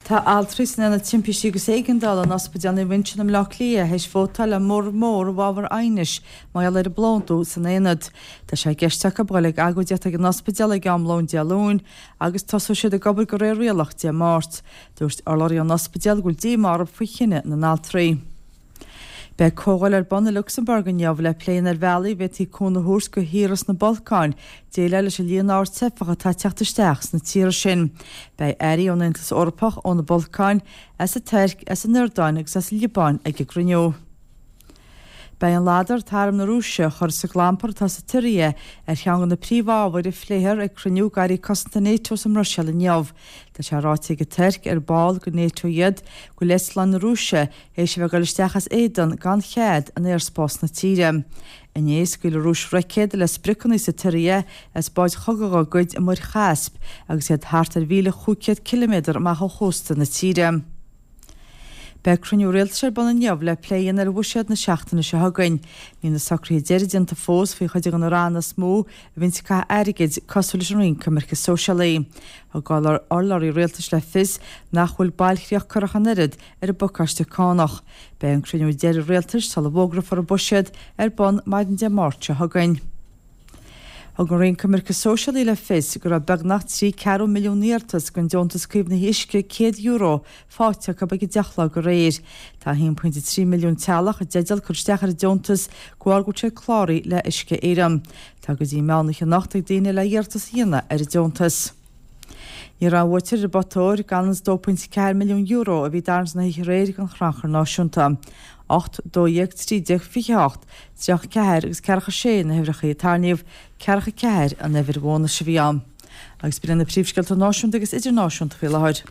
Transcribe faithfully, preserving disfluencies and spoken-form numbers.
Tá altraí san Aonad Timpistí agus Éigeandála in Ospidéal Naomh Uinseann i mBleá Cliath théis vótáil le móramh mór i bhfabhar aighnis mar gheall ar an bplódú san aonad. Tá sé i gceist acu dul ag agóidíocht ag an ospidéal ag am lóin Dé Luain agus tosóidh siad ag obair de réir rialach Dé Máirt. Dúirt urlabhraí ón ospidéal go bhfuil díomá orthu faoi chinneadh na n-altraí. Beidh comhdháil ar bun i Lucsamburg inniu le plé ar bhealaí a bhféadfaí cúnamh a thabhairt do thíortha sna Balcáin déileáil leis an líon ard teifeach atá ag teacht isteach sna tíortha sin. Beidh airí ón Aontas Eorpach, ó na Balcáin, as an Tuirc, as an Iordáin agus as an Liobáin ag an gcruinniú. Beidh an ladar atá arm na Rúise a chur sa gclampar atá sa tSiria ar cheann de na príomhábhair a phléifear ag cruinniú d'airí cosanta NATO sa mBruiséil inniu. Tá sé ráite ag an Tuirc, ar ball de NATO iad, go bhfuil eitleáin na Rúise théis a bheith ag dul isteach as éadan gan chead in aerspás na tíre. Inné, scaoil an Rúis roicéad le spriocanna sa tSiria as báid chogaidh dá gcuid i Muir Chaisp agus iad thart ar mhíle chúig chéad ciliméadar amach ó chósta na tíre. Beidh cruinniú rialtais ar bun inniu le plé a dhéanamh ar bhuiséad na seachtaine seo chugainn. Níl na socruithe deiridh déanta fós faoi chuid de na ranna is mó a bhíonns ag caitheamh airgid, cosúil leis an Roinn Coimirce Sóisialaí. Thug urlabhraí rialtais le fios nach bhfuil bailchríoch curtha ach an oiread ar an bpacáiste cánach. Beidh an cruinniú deiridh rialtais sula bhfógrófar an buiséad ar bun maidin Dé Máirt seo chugainn. Thug an Roinn Coimirce Sóisialaí le fios go raibh beagnach trí ceathrú milliún iarratas don Deontas Caomhnaithe Uisce céad euro faighte acu ag a deich a chlog aréir. Tá a haon pointe trí milliún teaghlach i dteideal cur isteach ar an deontas de bharr go bhfuil siad cláraithe le Uisce Éireann. Tá go dtí meán oíche anocht ag daoine le iarratas a dhéanamh ar an deontas. Ní raibh an bhuaiteoir ar an bpota óir gan an dó pointe ceathair milliún euro a bhí tarraingt na hoíche aréir don Chrannchur Náisiúnta. Ocht, dó dhéag, trí déag, fiche a hocht, tríocha a ceathair agus ceathracha a sé na huimhreacha a tarraingíodh, ceathracha a ceathair an uimhir bhónais a bhí ann. Agus b'in na príomhscéalta náisiúnta agus idirnáisiúnta faoi láthair.